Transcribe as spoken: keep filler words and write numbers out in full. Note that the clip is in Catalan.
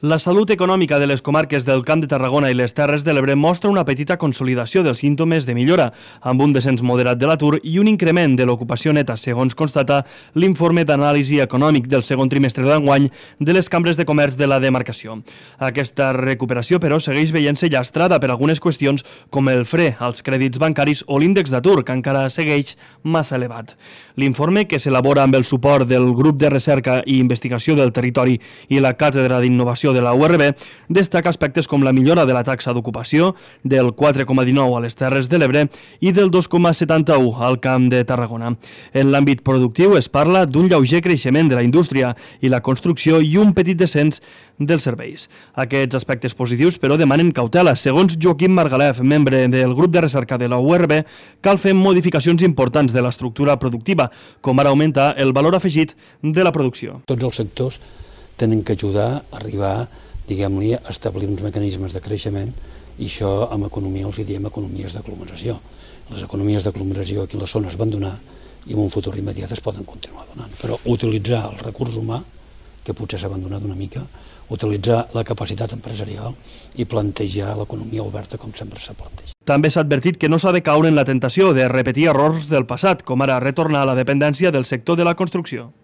La salut econòmica de les comarques del Camp de Tarragona i les Terres de l'Ebre mostra una petita consolidació dels símptomes de millora, amb un descens moderat de l'atur i un increment de l'ocupació neta, segons constata l'informe d'anàlisi econòmic del segon trimestre d'enguany de les cambres de comerç de la demarcació. Aquesta recuperació, però, segueix veient-se llastrada per algunes qüestions com el fre als crèdits bancaris o l'índex d'atur, que encara segueix massa elevat. L'informe, que s'elabora amb el suport del Grup de Recerca i Investigació del Territori i la Càtedra d'Innovació de la U R B, destaca aspectes com la millora de la taxa d'ocupació del quatre coma dinou a les Terres de l'Ebre i del dos coma setanta-u al Camp de Tarragona. En l'àmbit productiu es parla d'un lleuger creixement de la indústria i la construcció i un petit descens dels serveis. Aquests aspectes positius, però, demanen cautela. Segons Joaquim Margalef, membre del grup de recerca de la U R B, cal fer modificacions importants de l'estructura productiva, com ara augmentar el valor afegit de la producció. Tots els sectors tenen que ajudar a arribar, diguem-li, a establir uns mecanismes de creixement, i això en economia els diem economies d'aglomeració. Les economies d'aglomeració aquí a les zones van donar i en un futur immediat es poden continuar donant. Però utilitzar el recurs humà, que potser s'ha abandonat una mica, utilitzar la capacitat empresarial i plantejar l'economia oberta com sempre s'ha plantejat. També s'ha advertit que no s'ha de caure en la tentació de repetir errors del passat, com ara retornar a la dependència del sector de la construcció.